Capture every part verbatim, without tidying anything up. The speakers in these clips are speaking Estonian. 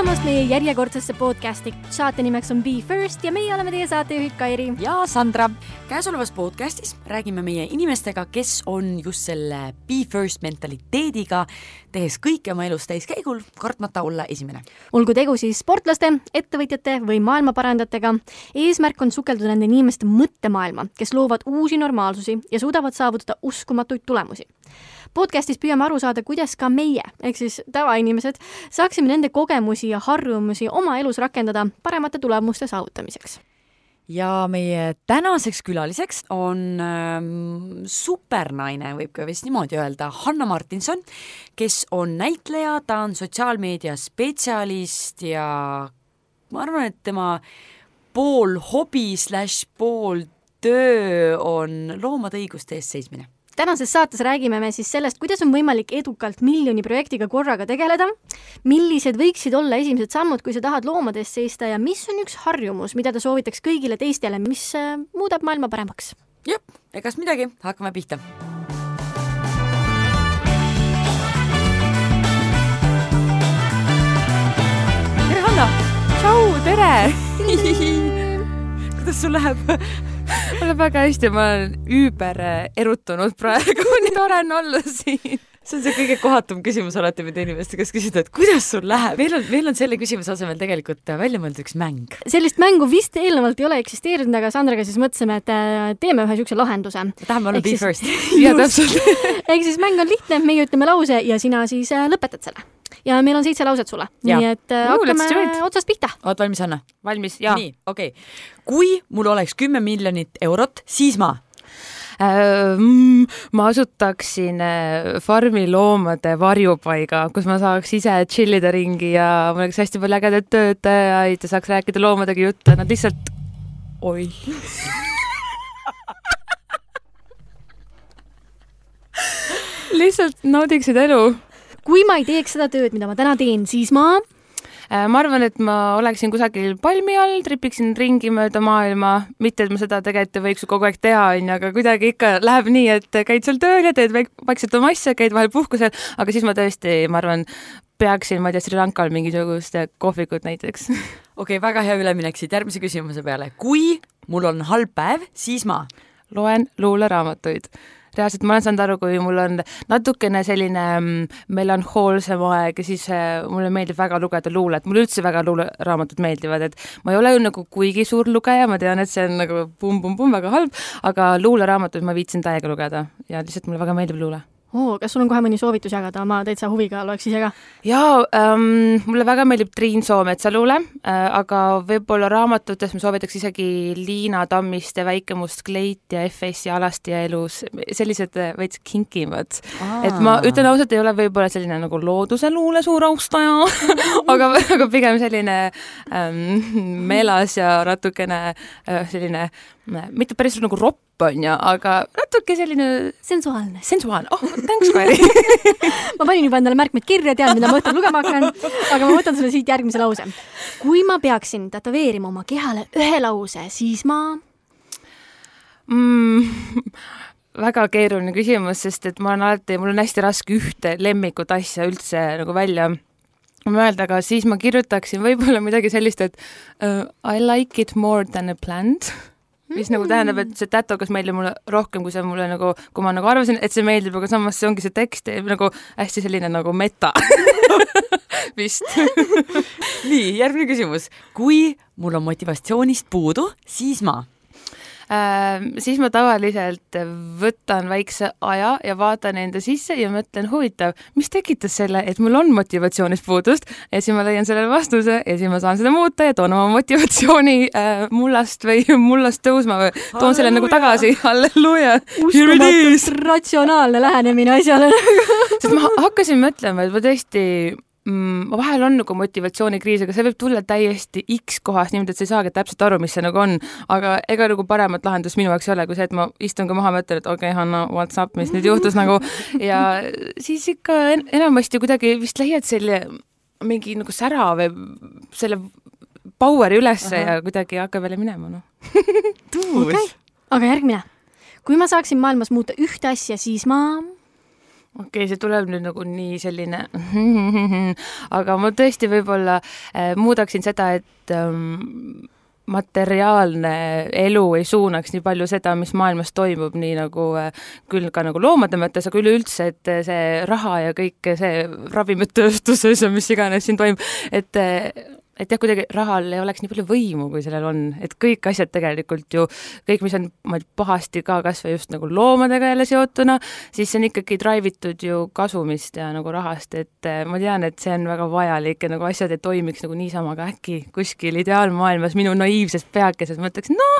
tulemast meie järjekordsesse podcasti. Saate nimeks on Be First ja meie oleme teie saatejuhid Kairi ja Sandra. Käesolevas podcastis räägime meie inimestega, kes on just selle Be First mentaliteediga, tehes kõike oma elus täiskäigul, kartmata olla esimene. Olgu tegu siis sportlaste, ettevõtjate või maailmaparandajatega. Eesmärk on sukelduda nende inimeste mõttemaailma, kes loovad uusi normaalsusi ja suudavad saavutada uskumatuid tulemusi. Podcastis püüame aru saada, kuidas ka meie, ehk siis tavainimesed, saaksime nende kogemusi ja harjumusi oma elus rakendada paremate tulemuste saavutamiseks. Ja meie tänaseks külaliseks on ähm, supernaine, võib ka vist niimoodi öelda, Hanna Martinson, kes on näitleja, ta on sotsiaalmeedia spetsialist ja ma arvan, et tema pool hobi slash pool töö on loomade õiguste eest seismine. Tänases saates räägime me siis sellest, kuidas on võimalik edukalt miljoni projektiga korraga tegeleda, millised võiksid olla esimesed sammud, kui sa tahad loomade eest seista ja mis on üks harjumus, mida ta soovitaks kõigile teistele, mis muudab maailma paremaks. Jep, egas midagi, hakkame pihta. Tere Hanna! Tšau, tere! Kuidas sul läheb? Ma olen väga hästi, ma olen üüber erutunud praegu, nii tore on olla siin. See on see kõige kohatum küsimus alati mida inimeste, kes küsida, et kuidas sul läheb? Meil on, meil on selle küsimuse asemel tegelikult välja mõeldud üks mäng. Sellist mängu vist eelnevalt ei ole eksisteerinud, aga Sandraga siis mõtlesime, et teeme ühe niisuguse lahenduse. Tahame olla Be First. Ja täpselt. Ehk siis mäng on lihtne, meie ütleme lause ja sina siis lõpetad selle. Ja meil on seitse lauset sulle. Ja. Nii et uh, hakkame otsast pihta. Oot valmis, Anna? Valmis, jaa. Nii, okei. Okay. Kui mul oleks kümme miljonit eurot, siis ma? Äh, mm, ma asutaksin farmi loomade varjupaiga, kus ma saaks ise chillida ringi ja mul oleks hästi palju ägedat töötajaid ja saaks rääkida loomadega juttu. Nad lihtsalt... Oi. lihtsalt naudiksid elu. Kui ma ei teeks seda tööd, mida ma täna teen, siis ma... Ma arvan, et ma oleksin kusagil palmi all, tripiksin ringi mööda maailma, mitte et ma seda tegelikult võiks kogu aeg teha, aga kuidagi ikka läheb nii, et käid seal tööl ja teed vaikselt oma asja, käid vahel puhkusel, aga siis ma tõesti, ma arvan, peaksin, ma ei tea, Sri Lankal mingisugust kohvikut näiteks. Okei, okay, väga hea üleminek siit järgmise küsimuse peale. Kui mul on halb päev, siis ma? Loen luuleraamatuid. Reaalselt ma olen saanud aru, kui mul on natukene selline melanhoolsem aeg ja siis mulle meeldib väga lugeda luulet. Mulle üldse väga luuleraamatud meeldivad, et ma ei ole ju nagu kuigi suur lugeja, ma tean, et see on nagu pum-pum-pum väga halb, aga luuleraamatud ma viitsin täiega lugeda ja lihtsalt mulle väga meeldib luule. Oo, kas sul on kohe mõni soovitus jagada? Ma täitsa huviga loeks ise ka. Jaa, ähm, mulle väga meeldib Triin Soometsa luule, äh, aga võib-olla raamatutes ma soovitaks isegi Liina Tammiste Väikemust Kleit ja F S ja Alasti ja elus. Sellised veits kinkimad. Aa. Et ma ütlen ausalt, ei ole võib-olla selline nagu looduse luule suur austaja, aga, aga pigem selline ähm, meelas ja natukene äh, selline, mitte päris nagu ropp on ja, aga natuke selline... Sensuaalne. Sensuaalne. Oh, thanks, Kairi. ma panin juba endale märkmed kirja, tean, mida ma õhtul lugema hakkan, aga ma võtan sulle siit järgmise lause. Kui ma peaksin tätoveerima oma kehale ühe lause, siis ma... Mm, väga keeruline küsimus, sest et ma olen alati, mul on hästi raske ühte lemmikut asja üldse nagu välja mõelda, aga siis ma kirjutaksin võib-olla midagi sellist, et uh, I like it more than a plant. Mis nagu tähendab, et see tätokas meeldib mulle rohkem, kui see mulle nagu, kui ma nagu arvasin, et see meeldib, aga samas see ongi see tekst nagu hästi selline nagu meta. Vist. Nii, järgmine küsimus. Kui mul on motivatsioonist puudu, siis ma? Äh, siis ma tavaliselt võtan väikse aja ja vaatan enda sisse ja mõtlen huvitav, mis tekitas selle, et mul on motivatsioonist puudust ja siis ma leian sellele vastuse ja siis ma saan seda muuta ja toon oma motivatsiooni äh, mullast või mullast tõusma või toon Halleluja. Selle nagu tagasi. Halleluja! Uskumatult ratsionaalne lähenemine asjale. Sest ma hakkasin mõtlema, et ma tõesti mm, vahel on nagu motivatsioonikriis, aga see võib tulla täiesti X kohast niimoodi, et sa ei saagi täpselt aru, mis see nagu on, aga ega nagu paremat lahendus minu jaoks ei ole, kui see, et ma istun ka maha mõtlen, et okei, okay, Hanna, what's up, mis nüüd juhtus nagu ja siis ikka en- enamasti kuidagi vist leiad selle mingi nagu sära või selle poweri ülesse Aha. ja kuidagi hakkab jälle minema, noh. Tuus. Okay. Aga järgmine. Kui ma saaksin maailmas muuta ühte asja, siis ma... okei okay,, see tuleb nüüd nagu nii selline aga ma tõesti võib-olla äh, muudaksin seda, et ähm, materiaalne elu ei suunaks nii palju seda, mis maailmas toimub, nii nagu äh, küll ka nagu loomade mõttes, aga üleüldse, et see raha ja kõik see ravimitööstuses ja mis iganes siin toimub, et et jah, kuidagi rahal ei oleks nii palju võimu, kui sellel on, et kõik asjad tegelikult ju, kõik, mis on ma pahasti ka kas või just nagu loomadega jälle seotuna, siis see on ikkagi drivitud ju kasumist ja nagu rahast, et ma tean, et see on väga vajalik ja nagu asjad ei toimiks nagu niisama, aga äkki kuskil ideaalmaailmas minu naiivses peakeses mõtleks, no,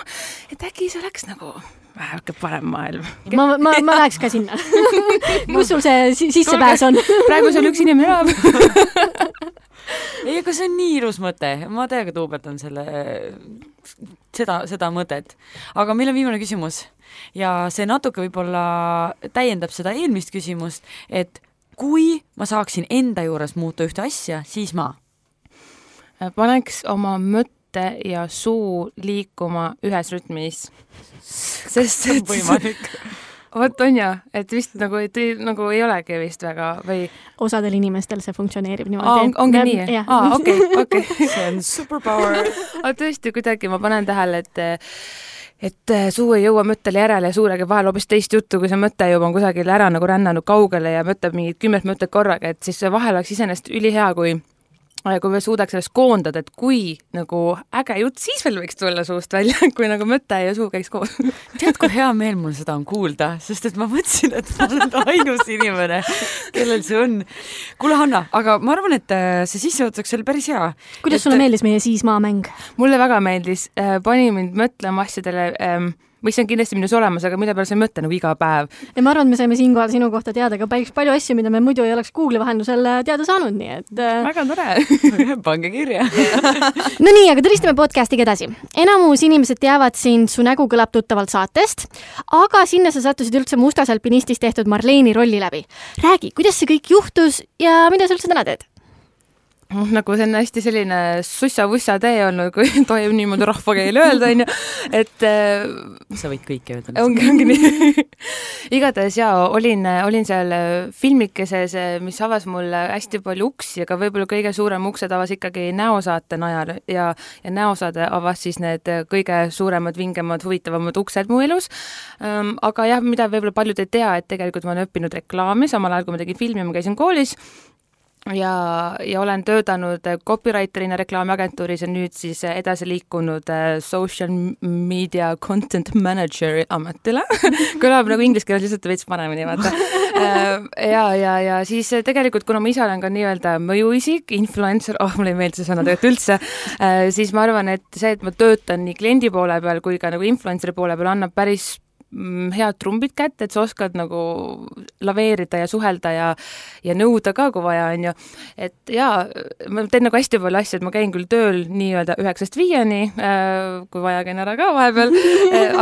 et äkki see oleks nagu väheke parem maailm. Ma, ma, ma läheks ka sinna. Kus sul see sissepääs on? Praegu seal üks inimene elab. Ei, aga see on nii ilus mõte. Ma täiega tuuberdan selle, seda, seda mõtet. Aga meil on viimane küsimus ja see natuke võib-olla täiendab seda eelmist küsimust, et kui ma saaksin enda juures muuta ühte asja, siis ma paneks oma mõtte ja suu liikuma ühes rütmis. Sest see on võimalik. Vot on ja, et vist nagu, et, nagu ei olegi vist väga või osadel inimestel see funktsioneerib niimoodi. Aa, on, ongi nii? Aa, okei, okei. See on superpower. Aga tõesti, kuidagi ma panen tähele, et et suu ei jõua mõttele järele ja suurega vahel hoopis teist juttu, kui see mõte juba on kusagil ära nagu rännanud kaugele ja mõtleb mingid kümmet mõtted korraga, et siis vahel oleks iseenesest ülihea, kui kui me suudaks sellest koondada, et kui nagu äge jutt, siis veel võiks tulla suust välja, kui nagu mõte ja suu käiks koos. Tead, kui hea meel mul seda on kuulda, sest et ma mõtlesin, et ma olen ainus inimene, kellel see on. Kuule, Hanna, aga ma arvan, et see sissejuhatuseks oli päris hea. Kuidas et... sulle meeldis meie Siis maa mäng? Mulle väga meeldis. Pani mind mõtlema asjadele... Ähm, mis on kindlasti minus olemas, aga mille peale sa ei mõtle nagu iga päev. Ja ma arvan, et me saime siinkohal sinu kohta teada ka päris palju asju, mida me muidu ei oleks Google'i vahendusel teada saanud, nii et... Väga tore. Pange kirja. No nii, aga tulistame podcastiga edasi. Enamus inimesed teavad sind, su nägu kõlab tuttavalt saatest, aga sinna sa sattusid üldse Mustas alpinistis tehtud Marleeni rolli läbi. Räägi, kuidas see kõik juhtus ja mida sa üldse täna teed? Nagu see on hästi selline sussa-vussa tee olnud, kui tohib niimoodi rahvakeel öelda, on ju, et sa võid kõike öelda. Ongi, ongi nii. Igatahes jaa, olin, olin seal filmikeses, mis avas mulle hästi palju uksi, aga võib-olla kõige suurem uksed avas ikkagi näosaate najal ja, ja näosaade avas siis need kõige suuremad, vingemad, huvitavamad uksed mu elus. Aga jah, mida võib-olla paljud ei tea, et tegelikult ma olen õppinud reklaami, samal ajal kui ma tegin filmi, ma käisin koolis ja, ja olen töötanud copywriterina reklaamiagentuuris ja nüüd siis edasi liikunud social media content manager ametile. Kõlab nagu inglise keeles lihtsalt veits paremini, vaata. Ja, ja, ja siis tegelikult, kuna ma ise olen ka nii-öelda mõjuisik, influencer, oh, mulle ei meeldi see sõna tegelikult üldse, siis ma arvan, et see, et ma töötan nii kliendi poole peal kui ka nagu influenceri poole peal annab päris head trumbid kätte, et sa oskad nagu laveerida ja suhelda ja, ja nõuda ka, kui vaja on ju. Et jaa, ma teen nagu hästi palju asju, et ma käin küll tööl nii-öelda üheksast viieni, kui vaja käin ära ka vahepeal,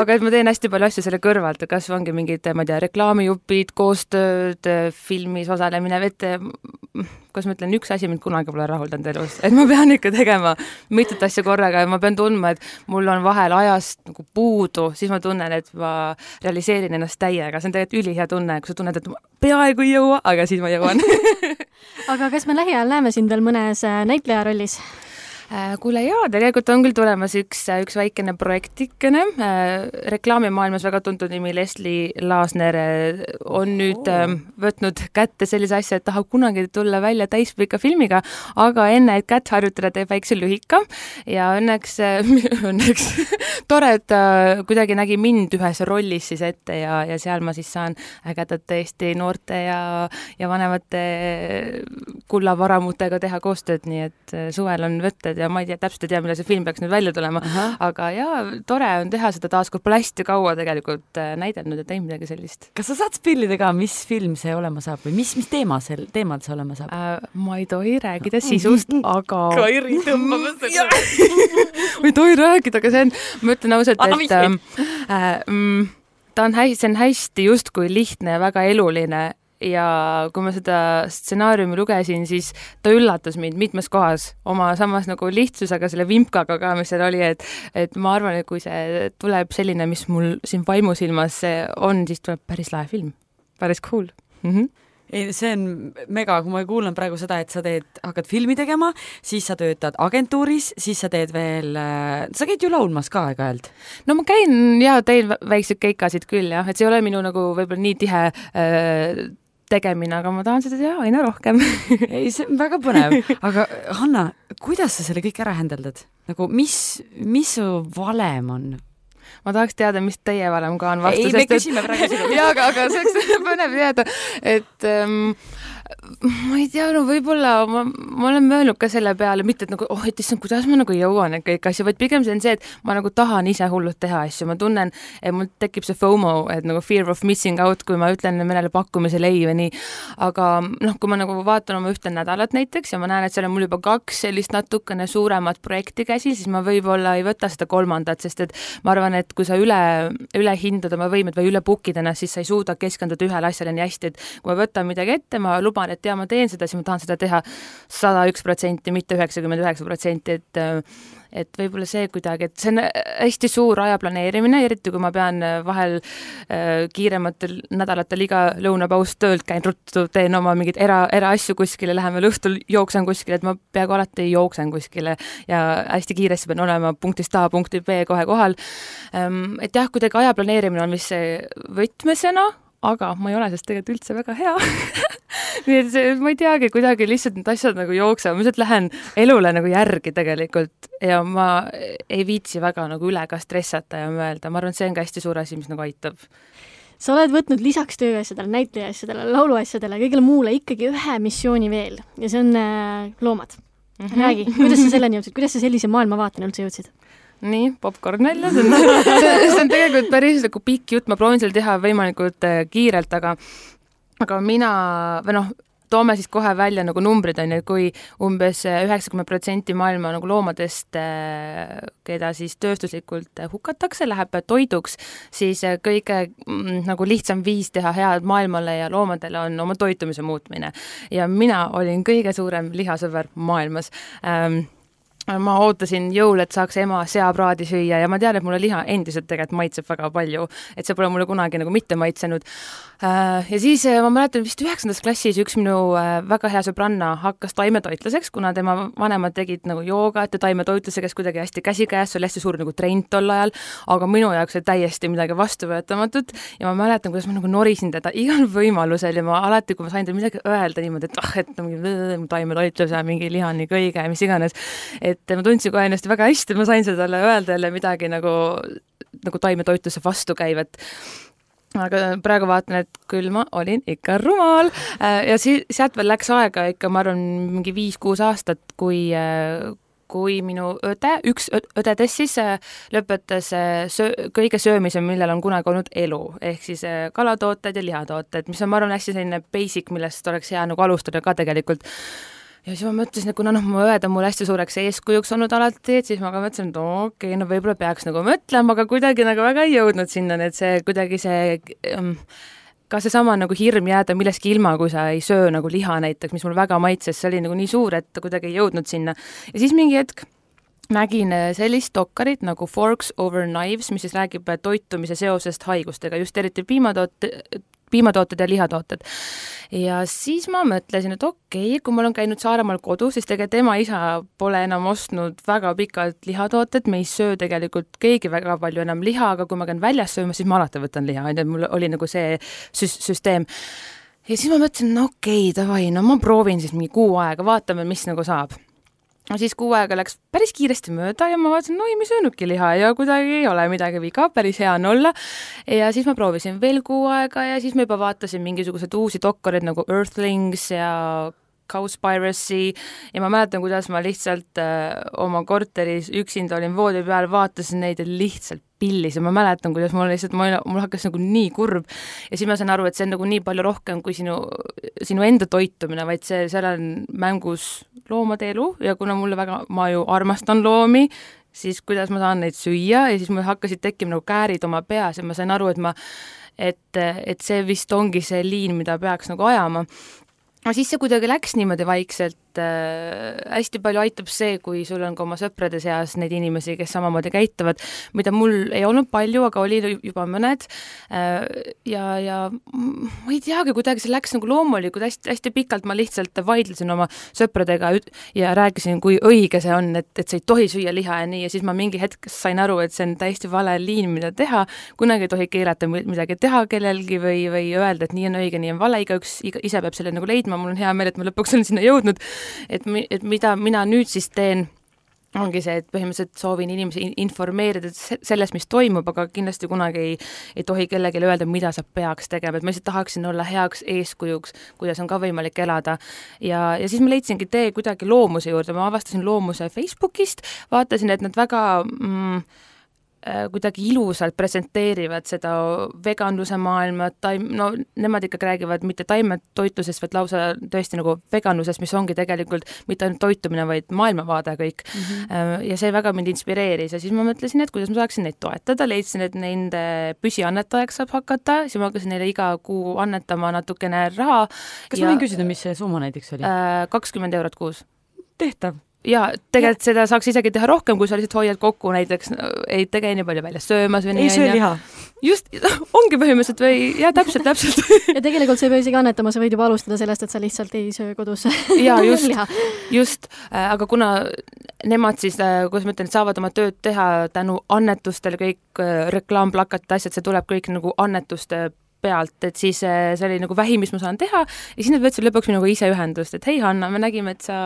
aga et ma teen hästi palju asju selle kõrvalt, kas ongi mingid, ma ei tea, reklaamijupid, koostööd, filmis osalemine, et kas ma ütlen, üks asi mind kunagi pole rahuldanud elus, et ma pean ikka tegema mitut asja korraga ja ma pean tundma, et mul on vahel ajast nagu puudu, siis ma tunnen, et ma realiseerin ennast täiega. See on tegelikult ülihea tunne, kui sa tunned, et ma peaaegu ei jõua, aga siis ma jõuan. Aga kas me lähiajal näeme sind veel mõnes näitleja rollis? Kuule jaa, tegelikult on küll tulemas üks, üks väikene projektikene. Reklaamimaailmas väga tuntud nimi Leslie Laasner on nüüd oh. võtnud kätte sellise asja, et tahab kunagi tulla välja täispika filmiga, aga enne, et kätt harjutada, teeb väikse lühika ja õnneks, õnneks tore, et ta kuidagi nägi mind ühes rollis siis ette ja, ja seal ma siis saan ägedat tõesti noorte ja, ja vanemate kullavaramutega teha koostööd, nii et suvel on võtted ja ma ei tea, täpselt ei tea, mille see film peaks nüüd välja tulema, Aha. aga jaa, tore on teha seda taas, kui pole hästi kaua tegelikult näidelnud ja teinud midagi sellist. Kas sa saad spillida ka, mis film see olema saab või mis, mis teema sel, teemad see olema saab? Äh, ma ei tohi räägida sisust, aga... Kairi tõmbama seda. ma ei tohi rääkida, aga see on, ma ütlen ausalt, et äh, äh, ta on hästi, see on hästi justkui lihtne ja väga eluline ja kui ma seda stsenaariumi lugesin, siis ta üllatas mind mitmes kohas oma samas nagu lihtsusega, selle vimpkaga ka, mis seal oli, et, et ma arvan, et kui see tuleb selline, mis mul siin vaimusilmas on, siis tuleb päris lahe film. Päris cool. Mm-hmm. ei, see on mega, kui ma kuulan praegu seda, et sa teed, hakkad filmi tegema, siis sa töötad agentuuris, siis sa teed veel, sa käid ju laulmas ka aeg-ajalt? No ma käin ja teen väikseid keikasid küll jah, et see ei ole minu nagu võib-olla nii tihe äh, tegemine, aga ma tahan seda teha aina rohkem. ei, see on väga põnev. Aga Hanna, kuidas sa selle kõik ära händeldad? Nagu mis, mis su valem on? Ma tahaks teada, mis teie valem ka on vastu. Ei, me küsime praegu sinu. Jaa, aga, aga see oleks põnev teada, et ähm, ma ei tea, no võib-olla ma, ma olen möönud ka selle peale, mitte et nagu, oh, et issand, kuidas ma nagu jõuan kõik asju, vaid pigem see on see, et ma nagu tahan ise hullult teha asju, ma tunnen, et mul tekib see FOMO, et nagu fear of missing out, kui ma ütlen mõnele pakkumisele ei või nii, aga noh, kui ma nagu vaatan oma ühte nädalat näiteks ja ma näen, et seal on mul juba kaks sellist natukene suuremat projekti käsil, siis ma võib-olla ei võta seda kolmandat, sest et ma arvan, et kui sa üle, üle hindad oma võimed või üle bookid ennast, siis sa ei suuda keskenduda ühele asjale nii hästi, et kui ma võtan midagi ette, ma luban, et ja ma teen seda, siis ma tahan seda teha sada üks protsenti, mitte üheksakümmend üheksa protsenti, et et võib-olla see kuidagi, et see on hästi suur aja planeerimine, eriti kui ma pean vahel äh, kiirematel nädalatel iga lõunapaus töölt käin ruttu, teen oma mingeid era, eraasju kuskile, lähen veel õhtul jooksen kuskile, et ma peaaegu alati jooksen kuskile ja hästi kiiresti pean olema punktist A punkti B kohe kohal. Ähm, et jah, kuidagi aja planeerimine on vist see võtmesõna, aga ma ei ole sest tegelikult üldse väga hea. Nii et see, ma ei teagi, kuidagi lihtsalt need asjad nagu jooksevad, ma lihtsalt lähen elule nagu järgi tegelikult ja ma ei viitsi väga nagu üle ka stressata ja mõelda, ma arvan, et see on ka hästi suur asi, mis nagu aitab. Sa oled võtnud lisaks tööasjadele, näitlejaasjadele, lauluasjadele, kõigile muule ikkagi ühe missiooni veel ja see on äh, loomad. Mm-hmm. Räägi, kuidas sa selleni jõudsid, kuidas sa sellise maailmavaateni üldse jõudsid? Nii, popcorn välja, see on, see on tegelikult päris nagu pikk jutt, ma proovin seal teha võimalikult kiirelt, aga, aga mina, või noh, toome siis kohe välja nagu numbrid on, kui umbes üheksakümmend protsenti maailma nagu loomadest, keda siis tööstuslikult hukatakse, läheb toiduks, siis kõige nagu lihtsam viis teha head maailmale ja loomadele on oma toitumise muutmine. Ja mina olin kõige suurem lihasõber maailmas. Ähm, ma ootasin jõul, et saaks ema seapraadi süüa ja ma tean, et mulle liha endiselt tegelikult maitseb väga palju, et see pole mulle kunagi nagu mitte maitsenud. Ja siis ma mäletan vist üheksandas klassis üks minu väga hea sõbranna hakkas taimetoitlaseks, kuna tema vanemad tegid nagu joogat ja taimetoitlusega kuidagi hästi käsikäes, see oli hästi suur nagu trend tol ajal, aga minu jaoks oli täiesti midagi vastuvõetamatut ja ma mäletan, kuidas ma nagu norisin teda igal võimalusel ja ma alati, kui ma sain teda midagi öelda niimoodi, et ah, et mingi taimetoitlus ja mingi lihani kõige ja mis iganes, et ma tundsin kohe ennast väga hästi, ma sain seda talle öelda jälle midagi nagu, nagu taimetoitluse vastu käivat. Aga praegu vaatan, et küll ma olin ikka rumal ja si- sealt veel läks aega ikka, ma arvan, mingi viis-kuus aastat, kui, kui minu õde, üks õdedest siis lõpetas söö, kõige söömise, millel on kunagi olnud elu, ehk siis kalatooted ja lihatooted, mis on, ma arvan, hästi selline basic, millest oleks hea nagu alustada ka tegelikult. Ja siis ma mõtlesin, et kuna noh, mu õed on mul hästi suureks eeskujuks olnud alati, et siis ma ka mõtlesin, et okei, okay, no võib-olla peaks nagu mõtlema, aga kuidagi nagu väga ei jõudnud sinna, et see kuidagi see, ka see sama nagu hirm jääda milleski ilma, kui sa ei söö nagu liha näiteks, mis mul väga maitses, see oli nagu nii suur, et kuidagi ei jõudnud sinna. Ja siis mingi hetk nägin sellist dokkarit nagu Forks Over Knives, mis siis räägib toitumise seosest haigustega, just eriti piimatoote, piimatooted ja lihatooted. Ja siis ma mõtlesin, et okei, okay, kui mul on käinud Saaremaal kodus, siis tegelikult ema isa pole enam ostnud väga pikalt lihatooted, me ei söö tegelikult keegi väga palju enam liha, aga kui ma käin väljas sööma, siis ma alati võtan liha, mul oli nagu see süs- süsteem. Ja siis ma mõtlesin, no okei, okay, davai, no ma proovin siis mingi kuu aega, vaatame, mis nagu saab. No siis kuu aega läks päris kiiresti mööda ja ma vaatasin, no ei, me söönudki liha ja kuidagi ei ole midagi viga, päris hea on olla. Ja siis ma proovisin veel kuu aega ja siis ma juba vaatasin mingisugused uusi doktorid nagu Earthlings ja Cowspiracy ja ma mäletan, kuidas ma lihtsalt äh, oma korteris üksinda olin voodi peal, vaatasin neid ja lihtsalt pillis ja ma mäletan, kuidas mul lihtsalt, mul hakkas nagu nii kurb ja siis ma sain aru, et see on nagu nii palju rohkem kui sinu, sinu enda toitumine, vaid see, seal on mängus loomade elu ja kuna mulle väga, ma ju armastan loomi, siis kuidas ma saan neid süüa ja siis mul hakkasid tekkima nagu käärid oma peas ja ma sain aru, et ma, et, et see vist ongi see liin, mida peaks nagu ajama. No siis see kuidagi läks niimoodi vaikselt et äh, hästi palju aitab see, kui sul on ka oma sõprade seas neid inimesi, kes samamoodi käituvad, mida mul ei olnud palju, aga oli juba mõned äh, ja, ja ma ei teagi, kuidagi see läks nagu loomulikult, hästi, hästi pikalt ma lihtsalt vaidlesin oma sõpradega ja rääkisin, kui õige see on, et, et sa ei tohi süüa liha ja nii, ja siis ma mingi hetk sain aru, et see on täiesti vale liin, mida teha, kunagi ei tohi keelata midagi teha kellelgi või, või öelda, et nii on õige, nii on vale, igaüks iga, ise peab selle nagu leidma, mul on hea meel, et ma lõpuks olen sinna jõudnud, et, et mida mina nüüd siis teen, ongi see, et põhimõtteliselt soovin inimesi informeerida sellest, mis toimub, aga kindlasti kunagi ei, ei tohi kellelegi öelda, mida sa peaks tegema, et ma lihtsalt tahaksin olla heaks eeskujuks, kuidas on ka võimalik elada. Ja, ja siis ma leidsingi tee kuidagi loomuse juurde, ma avastasin loomuse Facebookist, vaatasin, et nad väga mm, kuidagi ilusalt presenteerivad seda veganluse maailma, taim, no nemad ikkagi räägivad mitte taimetoitlusest, vaid lausa tõesti nagu veganlusest, mis ongi tegelikult mitte ainult toitumine, vaid maailmavaade kõik. Mm-hmm. Ja see väga mind inspireeris ja siis ma mõtlesin, et kuidas ma saaksin neid toetada, leidsin, et nende püsiannetajaks saab hakata, siis ma hakkasin neile iga kuu annetama natukene raha. Kas ja, ma võin küsida, mis see summa näiteks oli? kakskümmend eurot kuus. Tehtav. Ja tegelikult ja. Seda saaks isegi teha rohkem, kui sa lihtsalt hoiad kokku, näiteks ei tege nii palju välja söömas või nii. Ei söö liha. Just, ongi põhimõtteliselt või, ja täpselt, täpselt. Ja tegelikult sa ei pea isegi annetama, sa võid juba alustada sellest, et sa lihtsalt ei söö kodus ja, just, liha. Just, aga kuna nemad siis, kuidas ma ütlen, saavad oma tööd teha tänu annetustele, kõik reklaamplakatid, asjad, see tuleb kõik nagu annetuste pealt, et siis see oli nagu vähim, mis ma saan teha ja siis nad võtsid lõpuks minuga ise ühendust, et hei Hanna, me nägime, et sa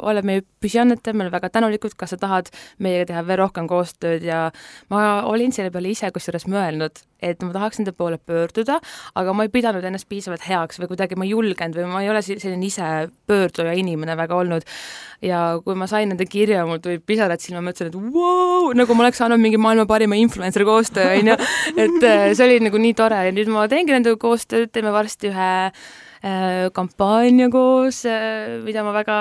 oled meie püsiannetaja, me oleme väga tänulikud, kas sa tahad meiega teha veel rohkem koostööd ja ma olin selle peale ise kusjuures mõelnud, et ma tahaks nende poole pöörduda, aga ma ei pidanud ennast piisavalt heaks või kuidagi ma ei julgenud või ma ei ole selline ise pöörduja inimene väga olnud ja kui ma sain nende kirja, mul tuli pisarad silma, mõtlesin, et wow, nagu ma oleks saanud mingi maailma parima influencer koostöö, onju, et see oli nagu nii tore ja nüüd ma teengi nende koostööd, teeme varsti ühe äh, kampaania koos, äh, mida ma väga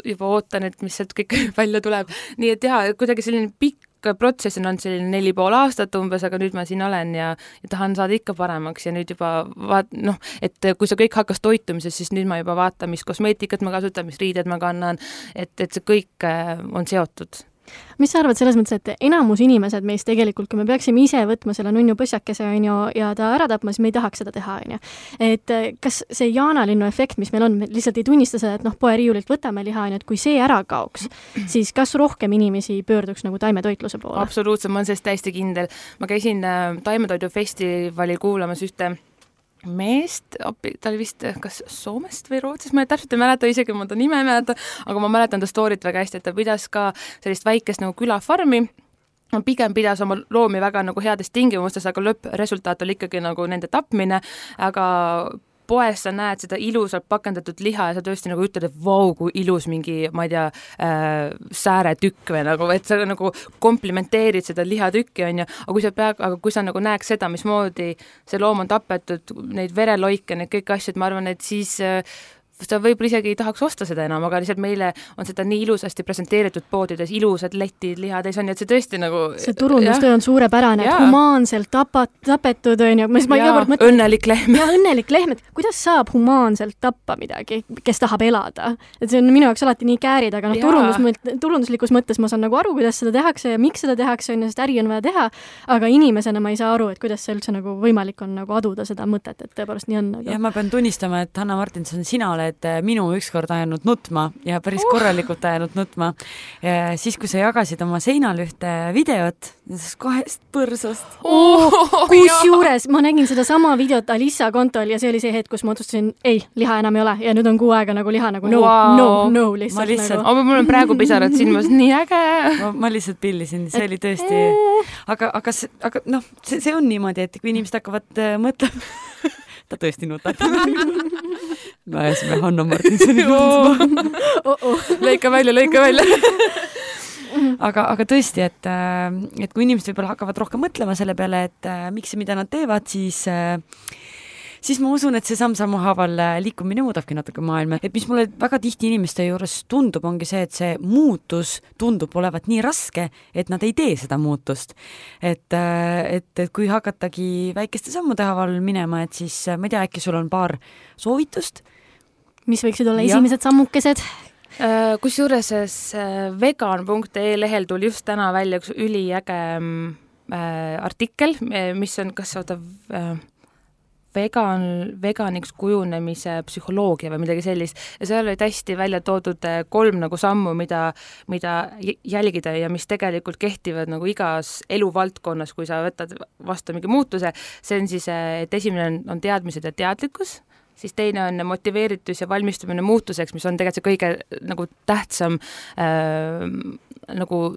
juba ootan, et mis sealt kõik välja tuleb. Nii et jah, kuidagi selline pikk protsess on olnud selline neli pool aastat umbes, aga nüüd ma siin olen ja, ja tahan saada ikka paremaks ja nüüd juba vaat-, noh, et kui see kõik hakkas toitumises, siis nüüd ma juba vaatan, mis kosmeetikat ma kasutan, mis riided ma kannan, et, et see kõik on seotud. Mis sa arvad selles mõttes, et enamus inimesed meist tegelikult, kui me peaksime ise võtma selle nunnu põsjakese on ju, ja ta ära tapma, siis me ei tahaks seda teha. On ju. Et kas see jaanalinnu efekt, mis meil on, me lihtsalt ei tunnista seda, et noh, poeriiulilt võtame liha, on ju, et kui see ära kaoks, siis kas rohkem inimesi pöörduks nagu taimetoitluse poole? Absoluutselt, ma olen sellest täiesti kindel. Ma käisin taimetoidufestivali kuulamas ühte meest, ta oli vist kas Soomest või Rootsist, ma täpselt ei mäleta, isegi ma ta nime ei mäleta, aga ma mäletan ta storyt väga hästi, et ta pidas ka sellist väikest nagu külafarmi, pigem pidas oma loomi väga nagu heades tingimustes, aga lõppresultaat oli ikkagi nagu nende tapmine, aga poes sa näed seda ilusalt pakendatud liha ja sa tõesti nagu ütled, et vau, kui ilus mingi, ma ei tea, äh, sääretükk või nagu, et sa nagu komplimenteerid seda lihatükki, on ju, aga kui sa pead, aga kui sa nagu näeks seda, mismoodi see loom on tapetud, neid vereloike, need kõik asjad, ma arvan, et siis äh, sa võib-olla isegi ei tahaks osta seda enam, aga lihtsalt meile on seda nii ilusasti presenteeritud poodides, ilusad letid, lihatäis on, et see tõesti nagu see turundustöö on suurepärane, et humaanselt tapat, tapetud on ju, ma iga kord mõtlen õnnelik lehm. Ja õnnelik lehm, et kuidas saab humaanselt tappa midagi, kes tahab elada, et see on minu jaoks alati nii käärid, aga noh, turundus, turunduslikus mõttes ma saan nagu aru, kuidas seda tehakse ja miks seda tehakse, on ju, sest äri on vaja teha, aga inimesena ma ei saa aru, et kuidas see üldse nagu võimalik on nagu aduda seda mõtet, et tõepoolest nii on. Ja ma pean tunnistama, et Hanna Martinson, sina oled minu ükskord ajanud nutma ja päris korralikult ajanud nutma. Ja siis, kui sa jagasid oma seinal ühte videot, kahest põrsast. Oh, kus juures ma nägin seda sama videot Alissa kontol ja see oli see hetk, kus ma otsustasin, ei, liha enam ei ole ja nüüd on kuu aega nagu liha nagu no, wow. no, no, lihtsalt. Ma lihtsalt, nagu... oh, mul on praegu pisarad silmas, nii äge. Ma, ma lihtsalt pillisin, see oli tõesti, aga, aga, aga noh, see, see on niimoodi, et kui inimesed hakkavad äh, mõtlema, ta tõesti nutab. Me ajasime Hanna Martinsoni nutma. Oh, oh. Lõika välja, lõika välja. aga, aga tõesti, et, et kui inimesed võib-olla hakkavad rohkem mõtlema selle peale, et miks ja mida nad teevad, siis siis ma usun, et see samm-sammu haaval liikumine muudabki natuke maailma. Et mis mulle väga tihti inimeste juures tundub, ongi see, et see muutus tundub olevat nii raske, et nad ei tee seda muutust. Et, et, et kui hakatagi väikeste sammude haaval minema, et siis ma ei tea, äkki sul on paar soovitust? Mis võiksid olla ja. Esimesed sammukesed? Kus juures vegan punkt ee lehel tuli just täna välja üks üliäge artikkel, mis on, kas oota, vegan, veganiks kujunemise psühholoogia või midagi sellist. Ja seal olid hästi välja toodud kolm nagu sammu, mida, mida jälgida ja mis tegelikult kehtivad nagu igas eluvaldkonnas, kui sa võtad vastu mingi muutuse. See on siis, et esimene on, on teadmised ja teadlikkus, siis teine on motiveeritus ja valmistumine muutuseks, mis on tegelikult see kõige nagu tähtsam äh, nagu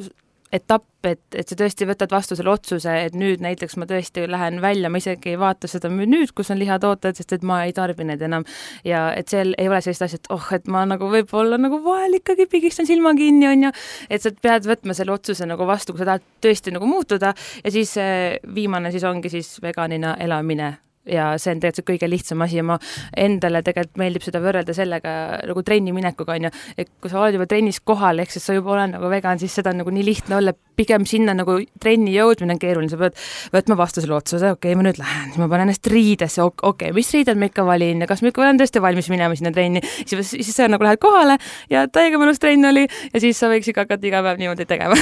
etapp, et, et sa tõesti võtad vastu selle otsuse, et nüüd näiteks ma tõesti lähen välja, ma isegi ei vaata seda nüüd, kus on lihatooted, sest et ma ei tarbi need enam. Ja et seal ei ole sellist asja, et oh, et ma nagu võib-olla nagu vahel ikkagi pigistan silma kinni, on ju, et sa pead võtma selle otsuse nagu vastu, kui sa tahad tõesti nagu muutuda ja siis viimane siis ongi siis veganina elamine. Ja see on tegelikult kõige lihtsam asi ja ma endale tegelikult meeldib seda võrrelda sellega nagu trenni minekuga, on ju, et kui sa oled juba trennis kohal, ehk siis sa juba olen nagu vegan, siis seda on nagu nii lihtne olla, pigem sinna nagu trenni jõudmine on keeruline, sa pead võtma vastu selle otsuse, okei, okay, ma nüüd lähen, siis ma panen ennast riidesse, okei, okay, mis riided ma ikka valin ja kas ma ikka olen tõesti valmis minema sinna trenni, siis, siis sa nagu lähed kohale ja täiega mõnus trenn oli ja siis sa võiks ikka hakata iga päev niimoodi tegema.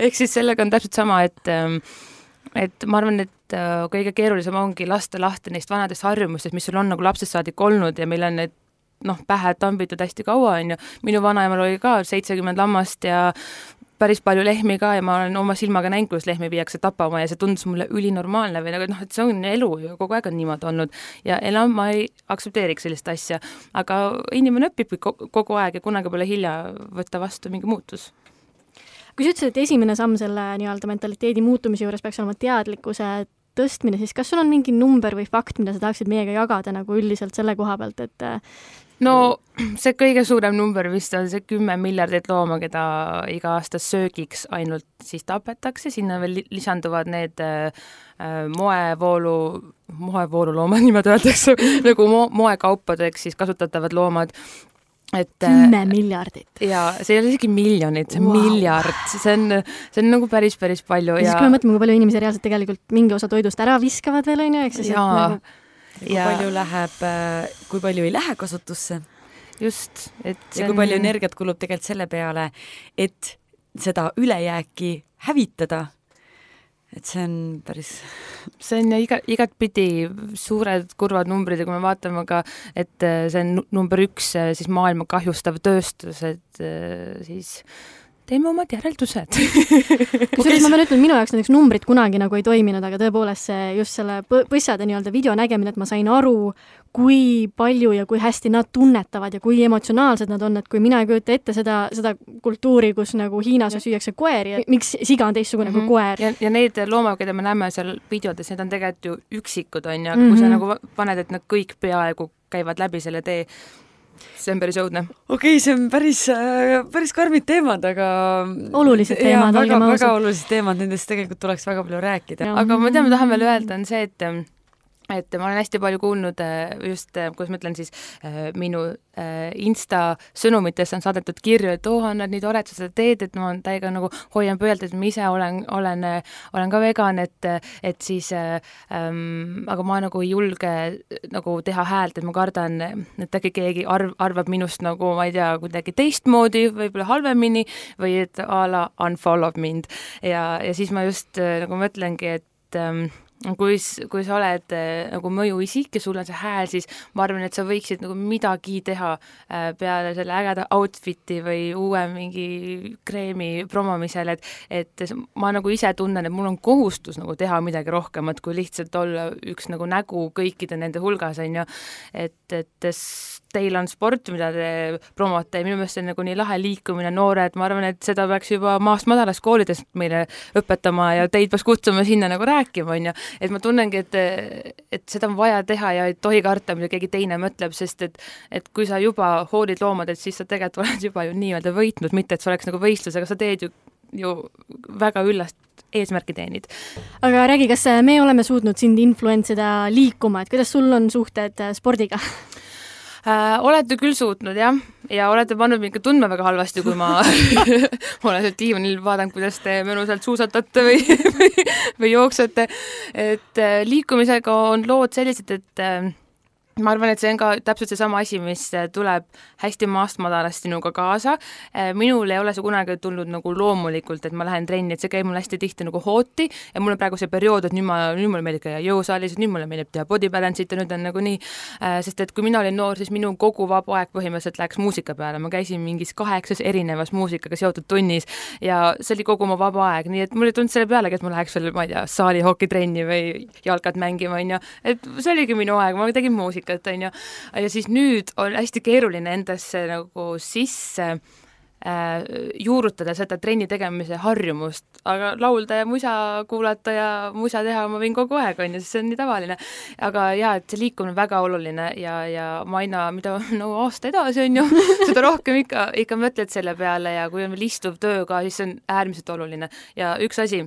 Ehk siis sellega on täpselt sama, et et ma arvan, et kõige keerulisem ongi lasta lahti neist vanadest harjumustest, mis sul on nagu lapsest saadik olnud ja meil on need noh, pähe tambitud hästi kaua, on ju. Minu vanaemal oli ka seitsekümmend lammast ja päris palju lehmi ka ja ma olen oma silmaga näinud, kus lehmi viiakse tapama ja see tundus mulle ülinormaalne või nagu, noh, et see on elu ja kogu aeg on niimoodi olnud ja enam ma ei aktsepteeriks sellist asja, aga inimene õpib kogu aeg ja kunagi pole hilja võtta vastu mingi muutus. Kui sa ütlesid, et esimene samm selle nii-öelda mentaliteedi muutumise juures peaks olema teadlikkuse tõstmine, siis kas sul on mingi number või fakt, mida sa tahaksid meiega jagada nagu üldiselt selle koha pealt, et no see kõige suurem number vist on see kümme miljardit looma, keda iga aasta söögiks ainult siis tapetakse, sinna veel lisanduvad need äh, moevoolu, moevoolu loomad, niimoodi öeldakse, nagu mo- moekaupadeks siis kasutatavad loomad. Et, kümme miljardit. Ja see ei ole isegi miljonid, see on wow. miljard, see on, see on nagu päris, päris palju. Ja, ja siis kui me mõtleme, kui palju inimesi reaalselt tegelikult mingi osa toidust ära viskavad veel, on ju, eks siis, ja, nagu... kui ja. palju läheb, kui palju ei lähe kasutusse. Just. Et ja kui palju energiat kulub tegelikult selle peale, et seda ülejääki hävitada. Et see on päris... See on ja iga, igat pidi suured kurvad numbrid ja kui me vaatame ka, et see on number üks siis maailma kahjustav tööstus, et siis teeme omad järeldused. Kusjuures ma pean ütlema, minu jaoks näiteks numbrid kunagi nagu ei toiminud, aga tõepoolest see just selle põssade nii-öelda video nägemine, et ma sain aru, kui palju ja kui hästi nad tunnetavad ja kui emotsionaalsed nad on, et kui mina ei kujuta ette seda, seda kultuuri, kus nagu Hiinas süüakse koeri ja miks siga on teistsugune mm-hmm. kui koer. Ja, ja need loomad, keda me näeme seal videodes, need on tegelikult ju üksikud, on ja mm-hmm. kui sa nagu paned, et nad kõik peaaegu käivad läbi selle tee, see on päris õudne. Okei, okay, see on päris, päris karmid teemad, aga... Olulised teemad, olgem ausad. Väga olulised teemad, nendest tegelikult tuleks väga palju rääkida. Ja. Aga ma tean, ma tahan veel öelda, on see, et et ma olen hästi palju kuulnud just, kuidas ma ütlen siis, minu Insta sõnumitest on saadetud kirju, et oo, on nad nii tored, sa seda teed, et ma täiega nagu hoian pöölt, et ma ise olen, olen, olen ka vegan, et, et siis ähm, aga ma nagu ei julge nagu teha häält, et ma kardan, et äkki keegi arv, arvab minust nagu, ma ei tea, kuidagi teistmoodi, võib-olla halvemini või et a la unfollow mind ja, ja siis ma just nagu mõtlengi, et ähm, kui, kui sa oled nagu mõjuisik ja sul on see hääl, siis ma arvan, et sa võiksid nagu midagi teha peale selle ägeda outfiti või uue mingi kreemi promomisel, et, et ma nagu ise tunnen, et mul on kohustus nagu teha midagi rohkemat, kui lihtsalt olla üks nagu nägu kõikide nende hulgas, on ju, et, et teil on sport, mida te promote ja minu meelest see on nagu nii lahe liikumine, noored, ma arvan, et seda peaks juba maast madalast koolidest meile õpetama ja teid peaks kutsuma sinna nagu rääkima, on ju. Et ma tunnengi, et, et seda on vaja teha ja ei tohi karta, mida keegi teine mõtleb, sest et, et kui sa juba hoolid loomad, et siis sa tegelikult oled juba ju nii-öelda võitnud, mitte et sa oleks nagu võistlus, aga sa teed ju, ju väga üllast eesmärki teenid. Aga räägi, kas me oleme suutnud sind influentsida liikuma, et kuidas sul on suhted spordiga? Äh, olete küll suutnud, jah, ja olete pannud mind ka tundma väga halvasti, kui ma olen seal diivanil vaadanud, kuidas te mõnusalt suusatate või, või, või jooksate. Et äh, liikumisega on lood sellised, et äh, ma arvan, et see on ka täpselt see sama asi, mis tuleb hästi maast madalast sinuga kaasa. Minul ei ole see kunagi tulnud nagu loomulikult, et ma lähen trenni, et see käib mul hästi tihti nagu hooti ja mul on praegu see periood, et nüüd, ma, nüüd mulle meeldib käia jõusaalis, nüüd mulle meeldib teha body balance'it ja nüüd on nagu nii, sest et kui mina olin noor, siis minu kogu vaba aeg põhimõtteliselt läks muusika peale. Ma käisin mingis kaheksas erinevas muusikaga seotud tunnis ja see oli kogu oma vaba aeg, nii et mul ei tulnud selle pealegi, et ma läheks veel, ma ei tea, saali hokitrenni või jalkat mängima, on ju. Et see oligi minu aeg, ma tegin muusika. Ja, ja siis nüüd on hästi keeruline endasse nagu sisse äh, juurutada seda trenni tegemise harjumust, aga laulda ja musa kuulata ja musa teha ma võin kogu aeg, on ju, sest see on nii tavaline. Aga jaa, et see liikumine on väga oluline ja, ja ma aina, mida no, aasta edasi on ju, seda rohkem ikka, ikka mõtled selle peale ja kui on veel istuv töö ka, siis see on äärmiselt oluline. Ja üks asi,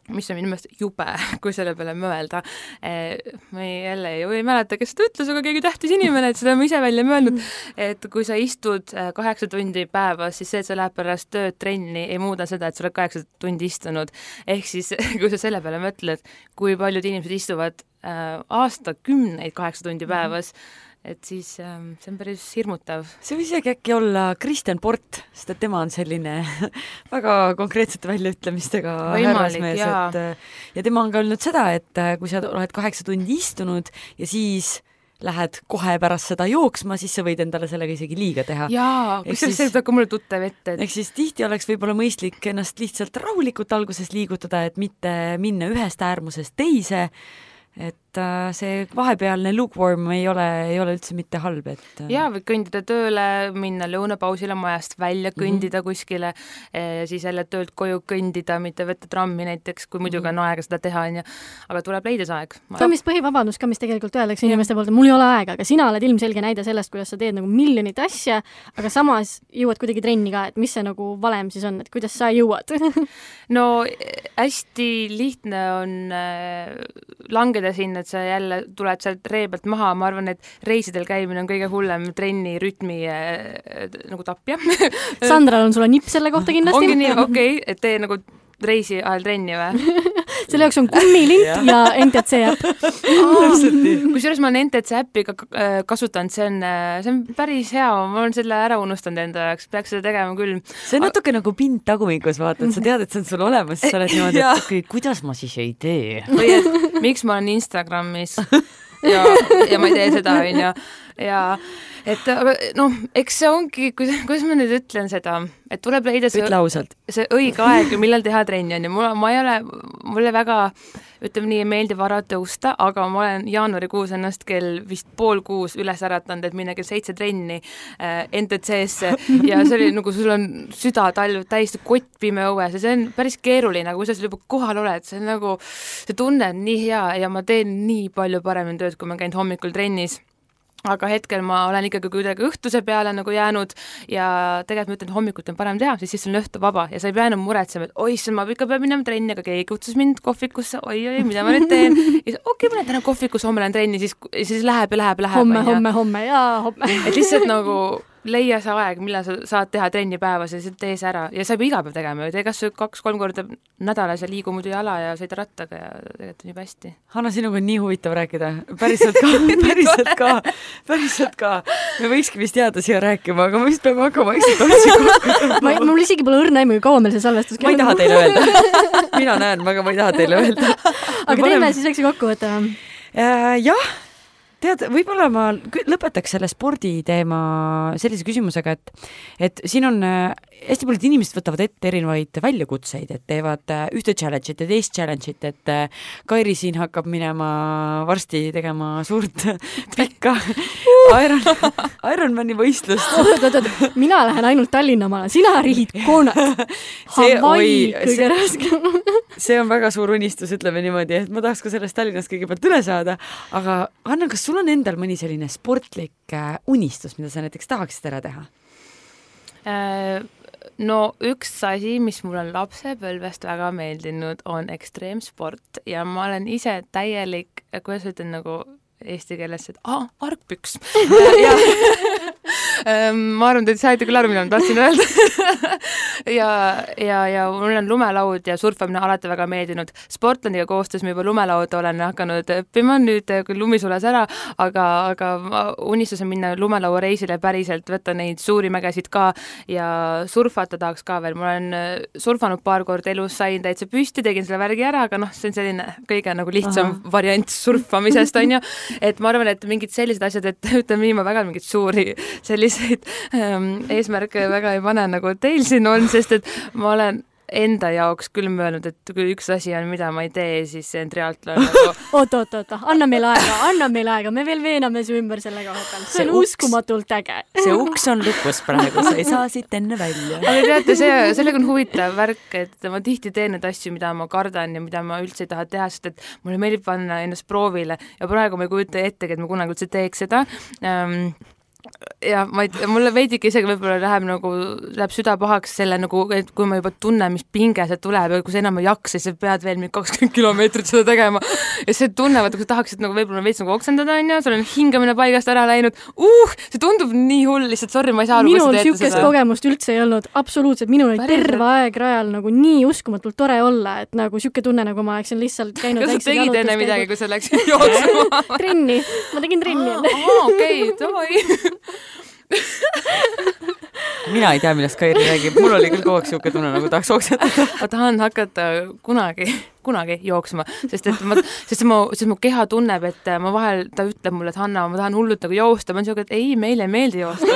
mis on minu meelest jube, kui selle peale mõelda. Ma ei, jälle ei, ei mäleta, kes seda ütles, aga keegi tähtis inimene, et seda ma ise välja mõelnud, et kui sa istud kaheksa tundi päevas, siis see, et sa läheb pärast tööd trenni, ei muuda seda, et sa oled kaheksa tundi istunud. Ehk siis, kui sa selle peale mõtled, kui paljud inimesed istuvad aastakümneid kaheksa tundi päevas, et siis ähm, see on päris hirmutav. See võis isegi äkki olla Kristjan Port, sest et tema on selline väga konkreetsete väljaütlemistega härrasmees, et ja tema on ka öelnud seda, et kui sa oled kaheksa tundi istunud ja siis lähed kohe pärast seda jooksma, siis sa võid endale sellega isegi liiga teha. Jaa, kus see võib ka mulle tuttav ette. Et... Ehk siis tihti oleks võib-olla mõistlik ennast lihtsalt rahulikult alguses liigutada, et mitte minna ühest äärmusest teise, et see vahepealne lukewarm ei ole, ei ole üldse mitte halb. Et... Jaa, või kõndida tööle, minna lõunapausile majast välja, kõndida mm-hmm. kuskile, siis jälle töölt koju kõndida, mitte võtta trammi näiteks, kui muidugi on aega seda teha, on, aga tuleb leida see aeg. See on vist põhivabadus ka, mis tegelikult öeldakse inimeste poolt, et mul ei ole aega, aga sina oled ilmselge näide sellest, kuidas sa teed nagu miljonit asja, aga samas jõuad kuidagi trenni ka, et mis see nagu valem siis on, et kuidas sa jõuad? No hästi lihtne on langeda sinna, et sa jälle tuled sealt ree pealt maha, ma arvan, et reisidel käimine on kõige hullem trenni rütmi äh, nagu tapja. Sandral on sulle nipp selle kohta kindlasti. Ongi nii, okei, okay, et tee nagu reisi ajal trenni või? Selle jaoks on kummilint ja N T C äpp. Kusjuures ma olen N T C äppi ka kasutanud, see on, see on päris hea, ma olen selle ära unustanud enda jaoks, peaks seda tegema küll. See on natuke nagu pind tagumikus, vaata, et sa tead, et see on sul olemas, sa oled niimoodi, et okay, kuidas ma siis ei tee? Või et miks ma olen Instagramis ja, ja ma ei tee seda, on ju. Ja et aga noh, eks see ongi, kuidas ma nüüd ütlen seda, et tuleb leida see, see õige aeg, millal teha trenni on ja mul, ma ei ole, mulle väga, ütleme nii, meeldib vara tõusta, aga ma olen jaanuarikuus ennast kell vist pool kuus üles äratanud, et minna kell seitse trenni äh, N T C-sse ja see oli nagu sul on süda talv täiesti kottpime õues ja see on päris keeruline, kui sa seal juba kohal oled, see on nagu, see tunne on nii hea ja ma teen nii palju paremini tööd, kui ma käin hommikul trennis. Aga hetkel ma olen ikkagi kuidagi õhtuse peale nagu jäänud ja tegelikult ma ütlen, et hommikut on parem teha, siis siis on õhtu vaba ja sa ei pea enam muretsema, et oi, ma ikka peab minema trenni, aga keegi kutsus mind kohvikusse, oi, oi, mida ma nüüd teen. Ja okei, okay, ma lähen täna kohvikusse, homme lähen trenni, siis, siis läheb ja läheb ja läheb. Homme, homme, homme ja homme. Et lihtsalt nagu leia see aeg, millal sa saad teha trenni päevas ja tee see ära. Ja sa ei pea iga päev tegema, tee kas kaks-kolm korda nädalas ja liigu muidu jala ja sõida rattaga ja tegelikult on juba hästi. Hanna, sinuga on nii huvitav rääkida. Päriselt ka, päriselt ka, päriselt ka. Me võikski vist jääda siia rääkima, aga me vist peame hakkama kokku. ma, mul isegi pole õrna aimu, kaua meil see salvestus. Ma ei taha teile öelda. Mina näen, aga ma ei taha teile öelda. Aga teeme siis väikse kokku võtta. Jah. Tead, võib-olla ma lõpetaks selle sporditeema sellise küsimusega, et, et siin on hästi paljud inimesed võtavad ette erinevaid väljakutseid, et teevad ühte challenge'it ja teist challenge'it, et Kairi siin hakkab minema varsti tegema suurt pikka Iron, Ironmani võistlust. Oot, oot, oot, mina lähen ainult Tallinna maale, sina rihid koonat. Hawaii kõige raskem. See on väga suur unistus, ütleme niimoodi, et ma tahaks ka sellest Tallinnast kõigepealt üle saada, aga Anna, kas sul on endal mõni selline sportlik unistus, mida sa näiteks tahaksid ära teha? No üks asi, mis mul on lapsepõlvest väga meeldinud, on ekstreemsport ja ma olen ise täielik, kuidas ütlen nagu eesti keeles, et ah, argpüks. ja, ma arvan, et saite küll aru, mida ma tahtsin öelda. ja, ja, ja mul on lumelaud ja surfamine alati väga meeldinud. Sportlandiga koostöös ma juba lumelauda olen hakanud õppima, nüüd küll lumi sules ära, aga, aga unistus on minna lumelauareisile päriselt, võtta neid suuri mägesid ka ja surfata tahaks ka veel. Ma olen surfanud paar korda elus, sain täitsa püsti, tegin selle värgi ära, aga noh, see on selline kõige nagu lihtsam Aha. variant surfamisest, on ju. Et ma arvan, et mingid sellised asjad, et ütleme nii, ma väga mingid suuri selliseid ähm, eesmärke väga ei pane, nagu teil siin on, sest et ma olen enda jaoks küll mõelnud, et kui üks asi on, mida ma ei tee, siis see on triatlon nagu... oot, oot, oot, anna meil aega, anna meil aega, me veel veename su ümber selle koha peal. See on uks, uskumatult äge. See uks on lukus praegu, sa ei saa siit enne välja. Aga teate, see, sellega on huvitav värk, et ma tihti teen need asju, mida ma kardan ja mida ma üldse ei taha teha, sest et mulle meeldib panna ennast proovile ja praegu ma ei kujuta ettegi, et ma kunagi üldse teeks seda. Um, ja ma ei, mulle veidike isegi võib-olla läheb nagu, läheb süda pahaks selle nagu, et kui ma juba tunnen, mis pinge see tuleb ja kui sa enam ei jaksa, siis sa pead veel kakskümmend kilomeetrit seda tegema ja see tunnevad, kui sa tahaksid nagu võib-olla veits nagu oksendada, on ju, sul on hingamine paigast ära läinud, uh, see tundub nii hull, lihtsalt sorry, ma ei saa aru, minul siukest kogemust üldse ei olnud, absoluutselt, minul oli terve aeg rajal nagu nii uskumatult tore olla, et nagu siuke tunne, nagu ma oleksin lihtsalt käinud kas sa tegid enne midagi, kui sa läksid jooksema? trenni, ma tegin trenni enne. Aa, okei, davai. mina ei tea, millest Kairi räägib, mul oli küll kogu aeg siuke tunne, nagu tahaks oksendada. ma tahan hakata kunagi, kunagi jooksma, sest et ma, sest mu, sest mu keha tunneb, et ma vahel, ta ütleb mulle, et Hanna, ma tahan hullult nagu joosta, ma on siuke, et ei, meile ei meeldi joosta.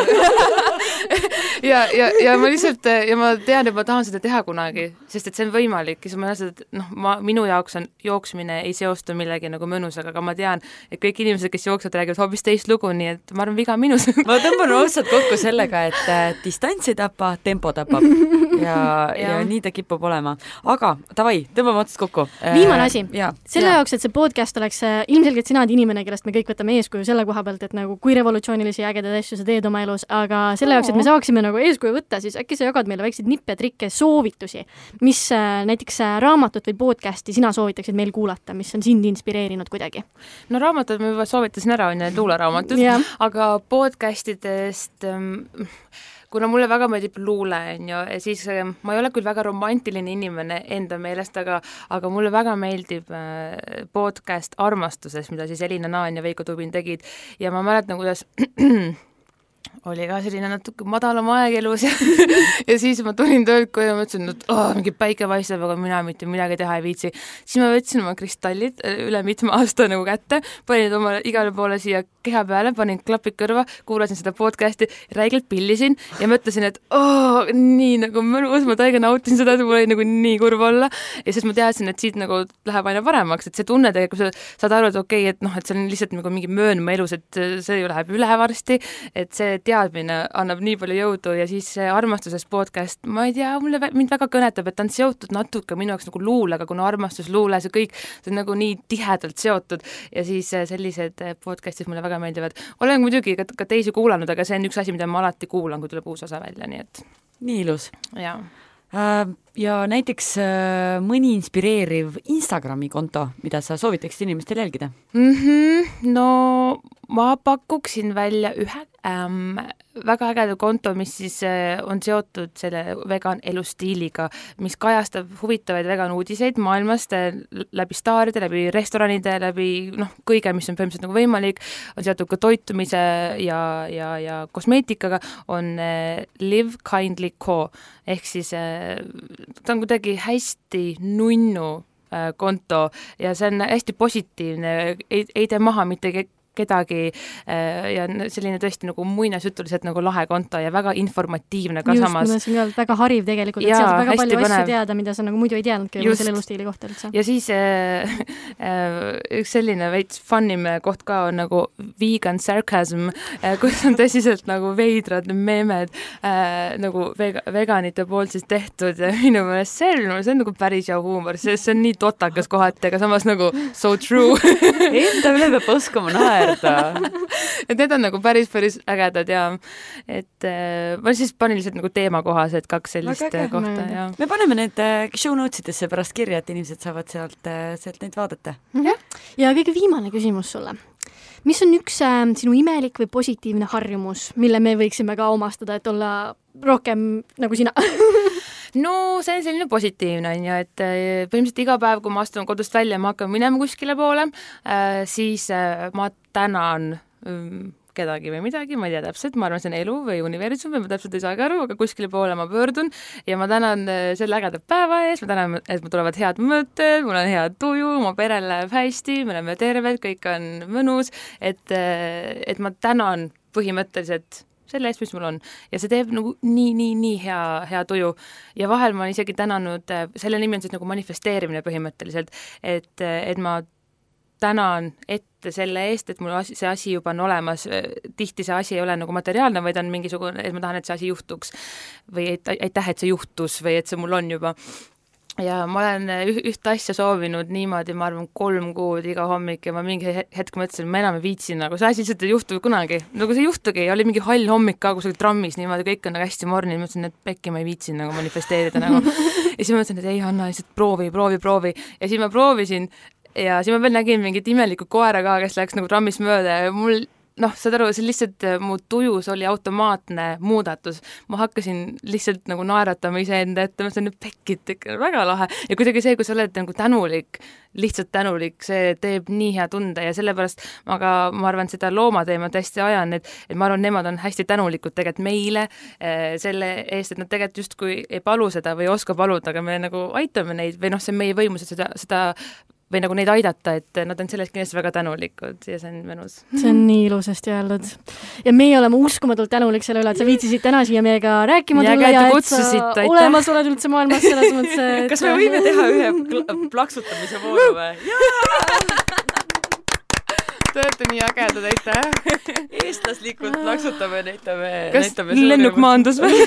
ja, ja, ja ma lihtsalt, ja ma tean, et ma tahan seda teha kunagi, sest et see on võimalik ja siis ma näen, et noh, ma, minu jaoks on jooksmine ei seostu millegi nagu mõnusaga, aga ma tean, et kõik inimesed, kes jooksvad, räägivad hoopis teist lugu, nii et ma arvan, viga minus. ma tõmban otsad kokku sellega, et äh, distants ei tapa, tempo tapab ja, ja. ja nii ta kipub olema. Aga davai, tõmbame otsad kokku. Viimane asi. Selle ja. jaoks, et see podcast oleks ilmselgelt sina oled inimene, kellest me kõik võtame eeskuju selle koha pealt, et nagu kui revolutsioonilisi ägedaid asju sa teed oma elus, aga selle jaoks, et me saaksime nagu eeskuju võtta, siis äkki sa jagad meile väikseid nippe, trikke, soovitusi, mis näiteks raamatut või podcasti sina soovitaksid meil kuulata, mis on sind inspireerinud kuidagi? No raamatud ma juba soovitasin ära, on ju, luuleraamatud, aga podcastidest kuna mulle väga meeldib luule, on ju, siis ma ei ole küll väga romantiline inimene enda meelest, aga, aga mulle väga meeldib podcast Armastuses, mida siis Elina Naan ja Veiko Tubin tegid ja ma mäletan, kuidas oli ka selline natuke madalam aeg elus ja, ja siis ma tulin töölt koju ja mõtlesin, et oh, mingi päike paistab, aga mina mitte midagi teha ei viitsi. Siis ma võtsin oma kristallid üle mitme aasta nagu kätte, panin oma igale poole siia keha peale, panin klapid kõrva, kuulasin seda podcasti, räigelt pillisin ja mõtlesin, et oh, nii nagu mõnus, ma täiega nautin seda, et mul oli nagu nii kurb olla ja siis ma teadsin, et siit nagu läheb aina paremaks, et see tunne tegelikult, sa saad aru, et okei, okay, et noh, et see on lihtsalt nagu mingi möönma elus, et see ju läheb üle varsti, et see teadmine annab nii palju jõudu ja siis see Armastuses podcast, ma ei tea, mulle mind väga kõnetab, et ta on seotud natuke minu jaoks nagu luulega, kuna armastus, luule, see kõik, see on nagu nii tihedalt seotud ja siis sellised podcastid mulle väga meeldivad. Olen muidugi ka, ka teisi kuulanud, aga see on üks asi, mida ma alati kuulan, kui tuleb uus osa välja, nii et... Nii ilus. Jaa. Ja näiteks mõni inspireeriv Instagrami konto, mida sa soovitaksid inimestel jälgida? Mm-hmm, no ma pakuksin välja ühe ähm, väga ägeda konto, mis siis äh, on seotud selle vegan elustiiliga, mis kajastab huvitavaid vegan uudiseid maailmast äh, läbi staaride, läbi restoranide, läbi noh, kõige, mis on põhimõtteliselt nagu võimalik, on seotud ka toitumise ja, ja, ja kosmeetikaga, on äh, Live Kindly Co. Ehk siis äh, ta on kuidagi hästi nunnu äh, konto ja see on hästi positiivne, ei, ei tee maha mitte kedagi ja selline tõesti nagu muinasjutuliselt nagu lahe konto ja väga informatiivne ka just, samas. Just, mul on väga hariv tegelikult, et seal saab väga palju põnev. Asju teada, mida sa nagu muidu ei teadnudki selle elustiili kohta üldse. Ja siis äh, äh, üks selline veits funnim koht ka on nagu vegan sarcasm, äh, kus on tõsiselt nagu veidrad meemed äh, nagu vega, veganite poolt siis tehtud ja minu meelest see on, see on nagu päris hea huumor, see, see on nii totakas kohati, aga samas nagu so true. Enda üle peab oskama naer. et need on nagu päris, päris ägedad ja et äh, ma siis panin lihtsalt nagu teema kohas, et kaks sellist Väga kohta. Ja. Me paneme need äh, show notes'idesse pärast kirja, et inimesed saavad sealt, äh, sealt neid vaadata. Mm-hmm. Ja kõige viimane küsimus sulle. mis on üks äh, sinu imelik või positiivne harjumus, mille me võiksime ka omastada, et olla rohkem nagu sina? No see on selline positiivne, on ju, et põhimõtteliselt iga päev, kui ma astun kodust välja ja ma hakkan minema kuskile poole, siis ma tänan kedagi või midagi, ma ei tea täpselt, ma arvan, see on elu või universum või ma täpselt ei saagi aru, aga kuskile poole ma pöördun ja ma tänan selle ägeda päeva ees, ma tänan, et mul tulevad head mõtted, mul on hea tuju, mu perel läheb hästi, me oleme terved, kõik on mõnus, et, et ma tänan põhimõtteliselt selle eest, mis mul on. Ja see teeb nagu nii, nii, nii hea, hea tuju. Ja vahel ma olen isegi tänanud, selle nimi on siis nagu manifesteerimine põhimõtteliselt, et, et ma tänan ette selle eest, et mul asi, see asi juba on olemas. Tihti see asi ei ole nagu materiaalne, vaid on mingisugune, et ma tahan, et see asi juhtuks. Või et, aitäh, et see juhtus või et see mul on juba. Ja ma olen üht asja soovinud niimoodi, ma arvan, kolm kuud iga hommik ja ma mingi hetk mõtlesin, ma enam ei viitsin, nagu see asi lihtsalt ei juhtu kunagi. Nagu see juhtugi, oli mingi hall hommik ka kusagil trammis, niimoodi kõik on nagu hästi morni, mõtlesin, et pekki ma ei viitsin nagu manifesteerida nagu. Ja siis ma mõtlesin, et ei, Hanna, lihtsalt proovi, proovi, proovi. Ja siis ma proovisin ja siis ma veel nägin mingit imelikku koera ka, kes läks nagu trammis mööda ja mul noh, saad aru, see lihtsalt mu tujus oli automaatne muudatus. Ma hakkasin lihtsalt nagu naeratama iseenda ette, ma sain nüüd pekkit, väga lahe. Ja kuidagi see, kui sa oled nagu tänulik, lihtsalt tänulik, see teeb nii hea tunde ja sellepärast ma ka, ma arvan, seda loomateemat hästi ajan, et, et ma arvan, nemad on hästi tänulikud tegelikult meile eh, selle eest, et nad tegelikult justkui ei palu seda või ei oska paluda, aga me nagu aitame neid või noh, see on meie võimus, et seda, seda või nagu neid aidata, et nad on sellest kindlasti väga tänulikud ja see on mõnus. See on nii ilusasti öeldud. Ja meie oleme uskumatult tänulik selle üle, et sa viitsisid täna siia meiega rääkima tulla ja, ja et sa olemas oled üldse maailmas selles mõttes, et... Kas me võime teha ühe plaksutamise vooru või? Te olete nii ägedad, aitäh! Eestlaslikult plaksutame, näitame... Kas lennuk maandus või?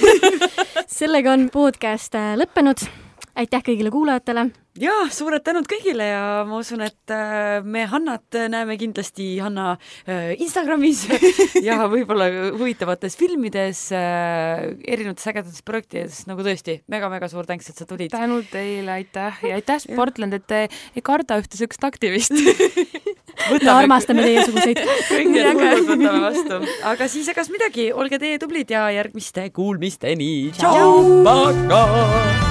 Sellega on podcast lõppenud. Aitäh kõigile kuulajatele. Ja, suured tänud kõigile ja ma usun, et me Hannat näeme kindlasti Hanna Instagramis ja võib-olla huvitavates filmides, erinevates ägedates projektides, nagu tõesti, mega-mega suur tänks, et sa tulid. Tänu teile, aitäh ja aitäh Sportland, et te ei karda ühte söökst aktivist. Me armastame teiesuguseid. Kõik need kuulud võtame vastu. Aga siis egas midagi, olge teie tublid ja järgmiste kuulmisteni. Tšau! Tšau!